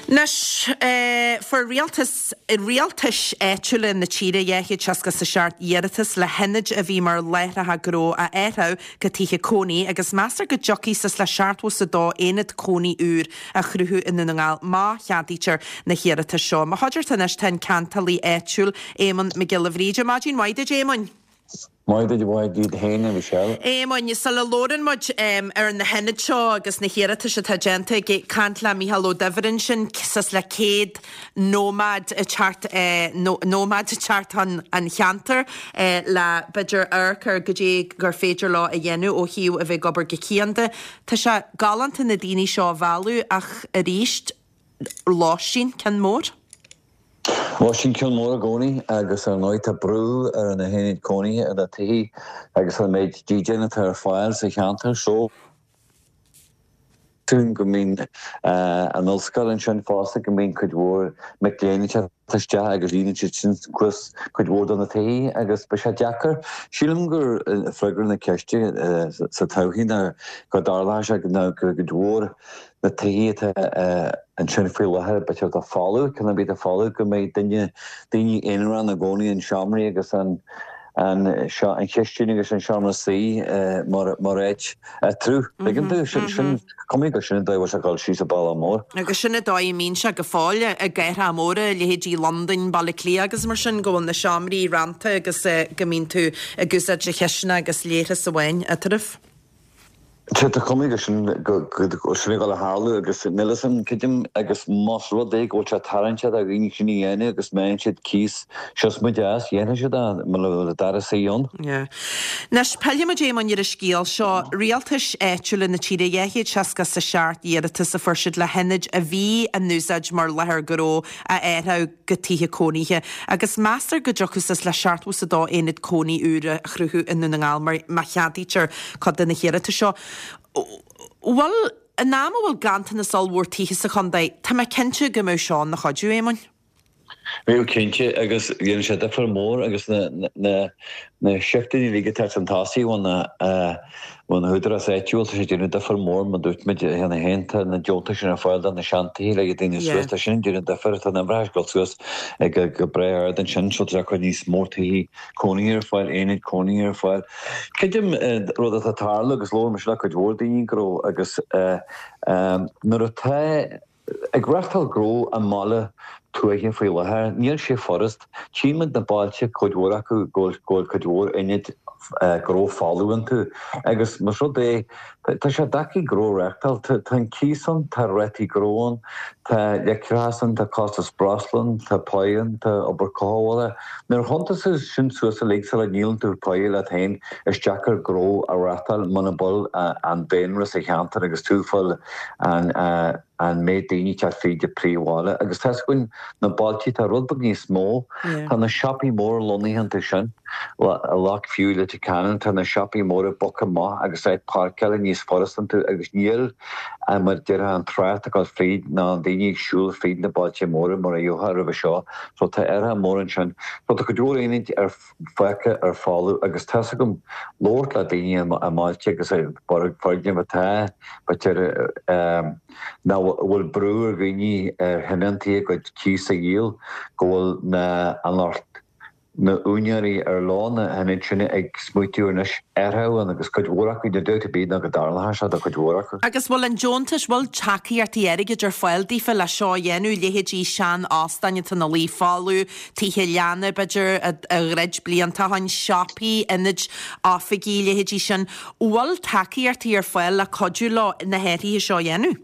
Anois, fuair rialtas, rialtais áitiúla na tíre 267 iarratas le hionaid a bhí mar láithreacha gnó a athrú go tithe cónaí agus meastar go dtiocfaidh suas le 72 aonad cónaí úr a chruthú i nDún na nGall má cheadaítear na hiarratais seo. Mo chuideachta anois tá an ceantálaí áitiúil, Éamonn Mac Giolla Bhríde. Maidin mhaith duit, Éamoinn. Maidin mhaith duit féin, a Mhichelle. Éamoinn, sula labhrann muid ar na hionaid seo agus na hiarratais atá déanta, ag caint le Mícheál Ó Duibhir ansin, suas le 100 nóiméad ag teacht, nóiméad ag teacht chun an cheantair le b'fhéidir amharc ar goidé gur féidir leo a dhéanamh ó thaobh a bheith ag obair go cianda. Tá sé galánta na daoine seo a mhealladh ach arís, lóistín, ceann mór. Lóistín ceann mór i gcónaí agus ar ndóigh tá brú ar na haonaid cónaithe, ar na tithe agus ar an méid dídean atá ar fáil sa cheantar so go mbíonn an ollscoil ansin fosta, go mbíonn cuid mhór mic léinn ag teacht isteach agus líonann siad sin suas cuid mhór de na tithe agus beidh sé deacair. Sílim gur freagra na ceiste sa todhchaí ná go dtarlóidh sé go cuid mhór na tithe atá ansin faoi láthair, b'fhéidir atá folamh, ceann ar bith atá folamh, go mbeidh duine, daoine aonarach ina gcónaí in seomraí agus an, an, an chistin agus an seomra suí mar, mar áit eatarthu. Tuigeann tú? Sin, sin, cuma gur sin an dóigh a bhfuil sé ag dul síos an bealach mór. Agus sin an dóigh a mbíonn sé go fóill i gcathracha móra, leithéidí Londain, Baile Átha Cliath agus mar sin, go bhfuil na seomraí rannta agus go mbíonn tú ag úsáid do chisteanach agus leithreas amháin eatarthu. Tá cuma gur sin go bhfuil sin ag dul a tharlú agus níl fhios a'm, creidim agus más rud é go bhfuil sé tarraingteach do dhaoine sin a dhéanamh agus má fhaigheann siad cíos siosmaid as, dhéanfaidh siad é muna bhfuil an dara suí ann. Yeah. Anois, pillfidh muid Éamoinn ar an scéal seo. Rialtais áitiúla na tíre, 267 iarratas a fuair siad le hionaid a bhí in úsáid mar láthair gnó a athrú go tithe cónaithe agus meastar go dtiocfadh suas le 72 aonad cónaí úr a chruthú i nDún na nGall mar má cheadaítear cuid de na hiarratais seo. Bhuel, in am a bhfuil ganntanas ollmhór tithe sa chontae, tá mé cinnte go mbeadh seo ina chuidiú, Éamoinn. Bheadh cinnte, agus dhéanfadh sé difear mór agus na na na shifteanna uilig atá chun tosaigh ó na ó na húdarás áitiúil, tá sé ag déanamh difear mór, mar dúirt muid cheana féin, tá na deontais sin ar fáil do na seantithe le daoine suas, tá sin ag déanamh difear, tá na uimhreacha ag dul suas go breá ard ansin, so tá sé ag cur níos mó tithe cónaithe ar fáil, aonaid cónaithe ar fáil. Creidim rud atá ag tarlú agus labhair mise le cuid mhór daoine gnó agus nuair atá Ag reachtáil gnó i mbaile tuaithe faoi láthair, níl sé furast. Tchíonn muid na bailte, cuid mhór acu, go bhfuil cuid mhór ionaid gnó folamh iontu agus más rud é, tá sé deacair gnó a reachtáil. Tá an cíos ann, tá rátaí gnó ann, tá leictreachas ann, tá costas breosla ann, tá páighe ann, tá obair cothabhála. Nuair a chuntas tú sin suas uilig sula ndíolann tú páighe leat féin, is deacair gnó a reachtáil muna bhfuil an daonra sa cheantar agus tú ag fáil an an méid daoine ag teacht fríd an príomhbhaile agus tá 'fhios againn na bailte tá rud beag níos mó tá na siopaí móra lonnaithe iontu sin Loughview Leitir Ceanainn tá na siopaí móra bogtha amach agus áit páirceála níos furasta iontu agus níl mar a déarfá an trácht ag dul fríd ná an daoine ag siúl fríd na bailte móra mar a gheofá roimhe seo so tá athrú mór ansin so tá cuid mhór aonaid ar fágtha ar folamh agus tá's agam labhairt le daoine i mbailte agus i bhfoirgnimh atá b'fhéidir nach bhfuil brú ar dhaoine ar thionóntaí a gcuid cíos a dhíol go bhfuil na an lucht na úinéirí ar leo na hionaid sin ag smaoitiú anois athrú ann agus cuid mhór acu níl dabht ar bith ná go dtarlóidh sé do chuid mhór acu. Agus bhfuil an deontais, bhfuil tacaíochtaí airgid ar fáil daofa le seo a dhéanamh, leithéidí sean-óstáin atá ina luí folamh, tithe leanna, b'fhéidir, a dhruid blianta ó shin, siopaí, ionaid oifigí, leithéidí sin. Bhfuil tacaíochtaí ar fáil le cuidiú leo na hathruithe seo a dhéanamh?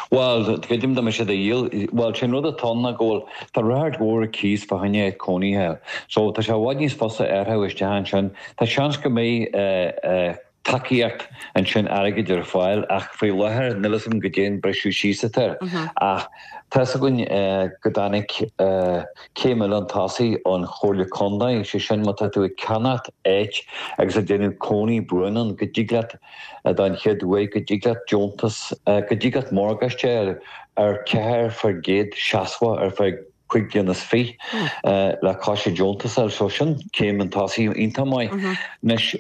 Bhuel, creidim dá mbeadh siad a dhíol, bhuel, sé an rud atá ann ná go bhfuil, tá ráchairt mhór ar cíos fá choinne áit cónaithe. So, tá sé i bhfad níos fusa athrú isteach ansin. Tá seans go mbeidh tacaíocht ansin airgid ar fáil ach faoi láthair níl fhios agam goidé an briseadh síos atá air ach tá's againn go dtáinig céim eile chun tosaigh ón Chomhairle Contae, sé sin má tá tú ag ceannacht áit agus ag déanamh cónaí buan ann go dtig leat don chéad uair go dtig leat deontas, go dtig leat morgáiste a fháil ar 4% seasmhach ar feadh. 5 bliana is 20 le coiste deontas a fháil. So sin céim chun tosaigh iontach maith. Anois,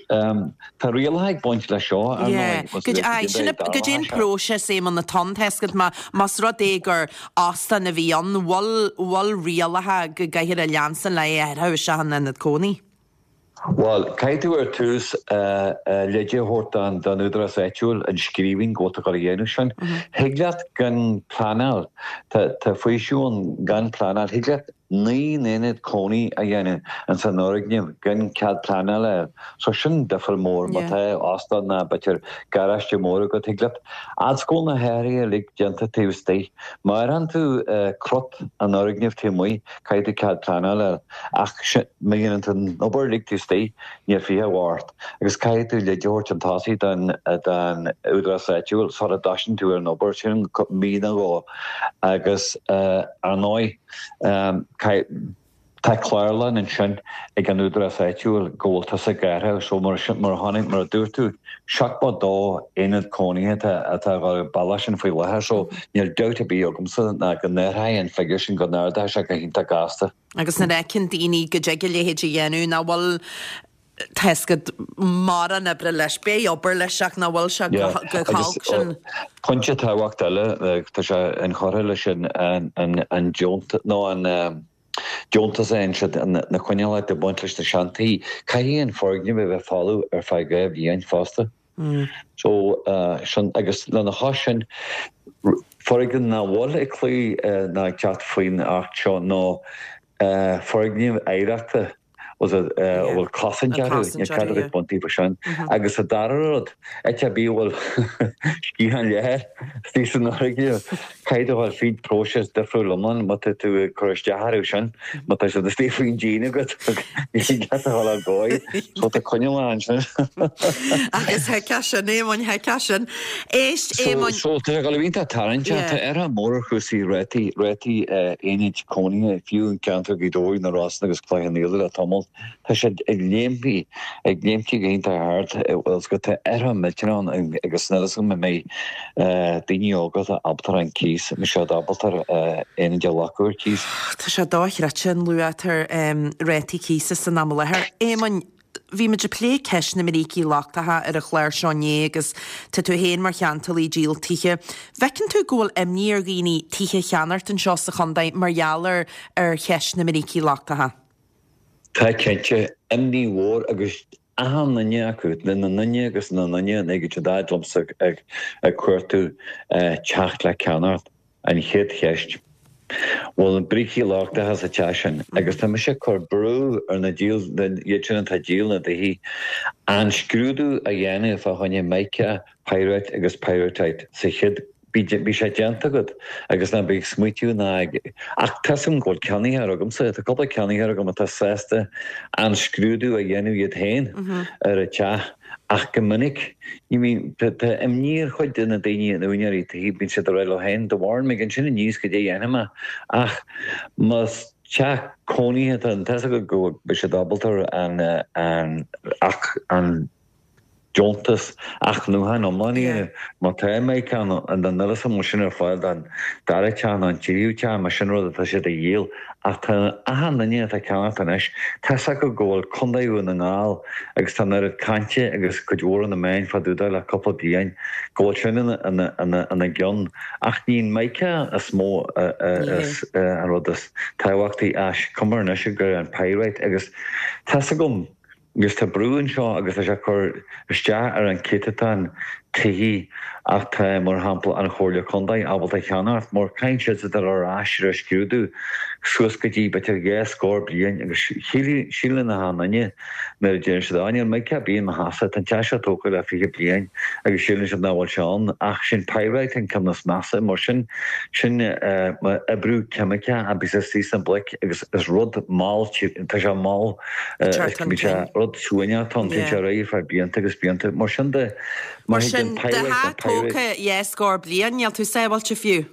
tá rialacha ag baint leis seo, ar ndóigh. Goidé an próiseas, Éamonn, atá ann, tá a fhios agat, más rud é gur óstán a bhí ann, bhfuil rialacha go gcaithfear a leanstan le é a athrú isteach in ionad cónaí? Bhuel, caithfidh tú ar tús leide a thabhairt don údarás áitiúil i scríbhinn go bhfuil tú ag dul a dhéanamh sin. Thig leat gan pleanáil, tá faoiseamh ann gan pleanáil, thig leat 9 n-aonad cónaí a dhéanamh ins an fhoirgneamh gan cead pleanála a fháil. So sin difear mór, má tá óstán ná b'fhéidir garáiste mór agat, thig leat, fhad 's go bhfuil na hathruithe uilig déanta taobh istigh. Má athraíonn tú crot an fhoirgnimh taobh amuigh, Caithfidh tú cead pleanála a fháil, ach má dhéanann tú an obair uilig taobh istigh, níl fiacha a bheith ort, agus caithfidh tú leid a thabhairt chun tosaigh don údarás áitiúil sula dtoisíonn tú ar an obair, sin mí nó dhó, agus ar ndóigh, tá clárlann ansin ag an údarás áitiúil go bhfuil tusa ag athrú, so mar a chonaic, mar a dúirt tú, 72 aonad cónaithe atá ag dul ar an bealach sin faoi láthair so níl dabht ar bith agamsa ná go n-athróidh an figiúr sin, go n-ardóidh sé go hiontach gasta. Agus nuair a fheiceann daoine go dtig a leithéid a dhéanamh, nach bhfuil, tá a fhios agat, mórán oibre leis, beidh obair leis ach nach bhfuil sé chomh holc sin. Pointe tábhachtach eile, tá sé inchurtha leis an deontas, nó an. Deontas a fhaigheann siad, na coinníollacha ag baint leis na seantithe. Caithfidh an foirgneamh a bheith folamh ar feadh 2 bhliain fosta. So, sin, agus lena chois sin, foirgneamh nach bhfuil ag cloí ná ag teacht faoin Acht seo ná foirgnimh oidhreachta a bhfuil cosaint orthu, níl cead agat baint díobh sin. Agus an dara rud, áit ar bith a bhfuil sciathán leathair istigh san fhoirgneamh, caithfidh tú a dhul fríd próiseas difriúil iomlán má tá tú ag cur isteach orthu sin, má tá siad istigh faoin díon agat, ní thig leat a dhul ar dhóigh, so tá coinníollacha ansin. Agus thuigfeá sin, Éamoinn, thuigfeá sin. Éist, Éamoinn. So, tá sé ag dul a bheith iontach tarraingteach, tá athrú mór ar chúrsaí rátaí, rátaí aonaid cónaithe, fiú i gceantar Ghaoth Dobhair, na Rosann agus Cloich Cheann Fhaola le tamall. Tá siad ag léimtí, ag léimtí go hiontach ard, bhfuil 's agat, tá athrú millteanach ann agus níl 'fhios agam an mbeidh daoine óga atá ábalta ar an cíos, an mbeidh siad ábalta ar aonaid a ghlacadh ar cíos. Tá sé dochreidte an luach atá ar rátaí cíosa san am i láthair. Éamoinn, bhí muid ag plé ceist na mbrící lochtacha ar an chlár seo inné agus tá tú féin mar cheantálaí ag díol tithe. Bhfeiceann tú go bhfuil imní ar dhaoine tithe a cheannacht anseo sa chontae mar gheall ar ar cheist na mbrící lochtacha? Tá cinnte, imní mhór agus achan nduine acu, na nduine agus na nduine an ag siad fhad liomsa ag cuartú teach le ceannacht, an chéad cheist, bhfuil na brící lochtacha sa teach sin? Agus tá mise ag cur brú ar na díol, iad sin atá ag díol na dtithe, an scrúdú a dhéanamh fá choinne mica, pyrite agus pyrrhotite sa chéad Bíodh sé déanta agat agus ná bí ag smaoitiú ná ag. Ach tá 'fhios agam go bhfuil ceannaitheoir agamsa, tá cúpla ceannaitheoir agam atá sásta an scrúdú a dhéanamh iad féin ar an teach ach go minic ní bhíonn, tá imní ar chuid de na daoine, na úinéirí tí, bíonn siad ag rá leo féin, de bharr mé ansin aníos goidé a dhéanfaidh mé ach más teach cónaithe atá ann, tá 'fhios agat go mbeidh siad ábalta an, an, ach an. deontas athnuachan iomlán a dhéanamh. Má tá mica ann, níl 'fhios agam an bhfuil sin ar fáil don dara teach nó an tríú teach, más sin rud atá siad a dhíol. Ach tá achan duine atá ag ceannacht anois, tá 'fhios acu go bhfuil Contae Dhún na nGall agus tá an oiread cainte agus cuid mhór de na meáin fá dtaobh de le cúpla bliain go bhfuil sin ina gcionn. Ach ní an mica is mó an rud is tábhachtaí is cuma anois gur an pyrite agus tá 'fhios agam Agus tá brú anseo agus tá sé ag cur isteach ar an céatadán tithí atá, mar shampla, an Chomhairle Contae ábalta a cheannacht, mar caithfidh siad dul ar ais ar an scrúdú suas go dtí b'fhéidir dhá scór bliain agus síleann achan duine nuair a deireann siad, á níl mica ar bith i mo theachsa, tá an teach seo tógtha le 20 bliain agus síleann siad nach bhfuil sé ann ach sin pyrite an ceann is measa mar sin sin oibriú ceimiceach a bhíos istigh sna bloic agus is rud mall, tá sé mall. Bíonn sé rud suaimhneach ann, téann sé ar aghaidh ar feadh blianta agus blianta. Mar sin de, Mar sin, do theach tógtha dhá scór bliain, níl tú sábháilte fiú.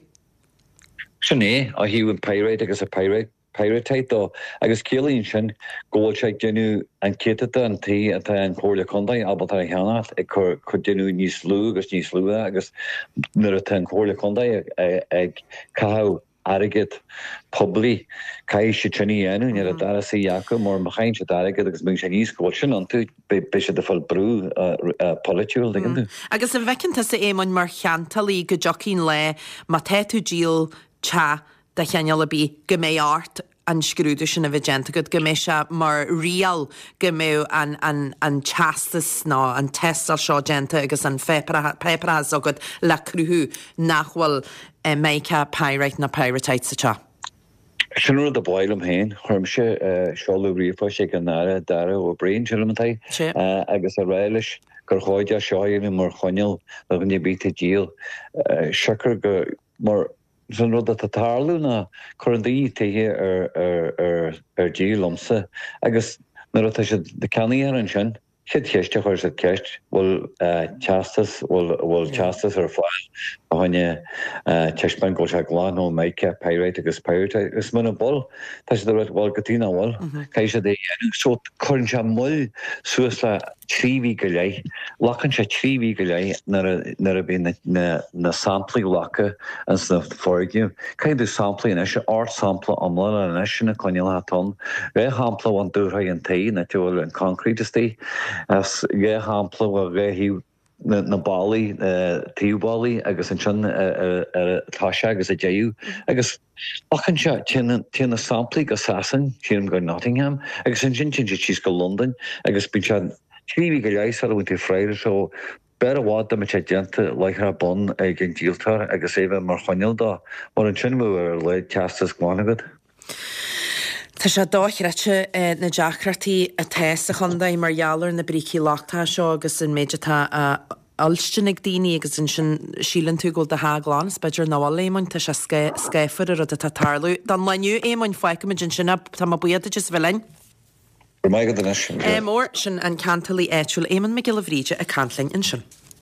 Sin é, ó thaobh an pyrite agus an pyrrhotite dó, agus ciallaíonn sin go bhfuil sé ag déanamh an céatadán tí atá an Chomhairle Contae ábalta a cheannacht ag cur déanamh níos lú agus níos lú agus nuair atá an Chomhairle Contae ag caitheamh. airgead poiblí, caithfidh siad sin a dhéanamh, níl an dara suí acu mar má chailleann siad airgead agus má bhíonn sé aníos go bhfuil sin iontu, beidh siad ag fáil brú polaitiúil, tuigeann tú. Agus an bhfeiceann tusa, Éamoinn, mar cheantálaí go dtiocfaidh an lá má tá tú ag díol teach de chineál ar bith, go mbeidh ort an scrúdú sin a bheith déanta agat, go mbeidh sé mar riail go mbeidh an, an, an teastas nó an tástáil seo déanta agus an páipéarachas agat le cruthú nach bhfuil mica, pyrite nó pyrrhotite sa teach. Sin an rud a ba mhaith liom féin. Chuir mise seoladh ríomhphoist ag an Aire Darragh O'Brien, sílim atá é, agus a rá leis gur chóir dó seo a dhéanamh mar choinníoll do dhuine ar bith atá ag díol, siocair go, mar an rud atá ag tarlú ná cuireann daoine tithe ar díol liomsa agus nuair atá siad ag ceannaithe ansin, Chéad cheist a chuir siad ceist, bhfuil teastas, bhfuil, bhfuil teastas ar fáil fá choinne taispeáint go bhfuil sé glan ó mica, pyrite agus pyrrhotite agus muna bhfuil, tá siad ag rá bhuel cad chuige nach bhfuil, caithfidh siad é a dhéanamh. So cuireann sé moill suas le 3 mhí go leith, glacann sé 3 mhí go leith nuair a, nuair a bhíonn na, na, na samplaí glactha ins na foirgnimh. Caithfidh tú samplaí anois, 8 sampla iomlána anois, sin na coinníollacha atá ann. 2 shampla ón dúshraith an tí, an áit a bhfuil an concrete istigh, is 2 shampla ó dhá thaobh na ballaí, taobh ballaí agus ansin ar an toiseach agus an deireadh. Agus glacann sé, téann na samplaí go Sasain, sílim go Nottingham, agus ansin téann siad síos go Londain agus bíonn sé 3 mhí go leith sula bhfaigheann tú freagra. So B'fhearr i bhfad dá mbeadh sé déanta láithreach bonn ag an díoltóir agus é bheith mar choinníoll dó, mar ansin bheadh ar a laghad teastas glan agat. Tá sé dochreidte na deacrachtaí atá sa chontae mar gheall ar na brící lochtacha seo agus an méid atá á fhuilstin ag daoine agus ansin síleann tú go bhfuil do theach glan is b'fhéidir nach bhfuil, Éamoinn. Tá sé scáfar an rud atá ag tarlú. Don lá inniu, Éamoinn, fágfaimid ansin é. Tá mé buíoch duit as a bheith linn. Go raibh maith agat anois. Ádh mór, sin an ceantálaí áitiúil Éamonn Mac Giolla Bhríde ag caint linn ansin.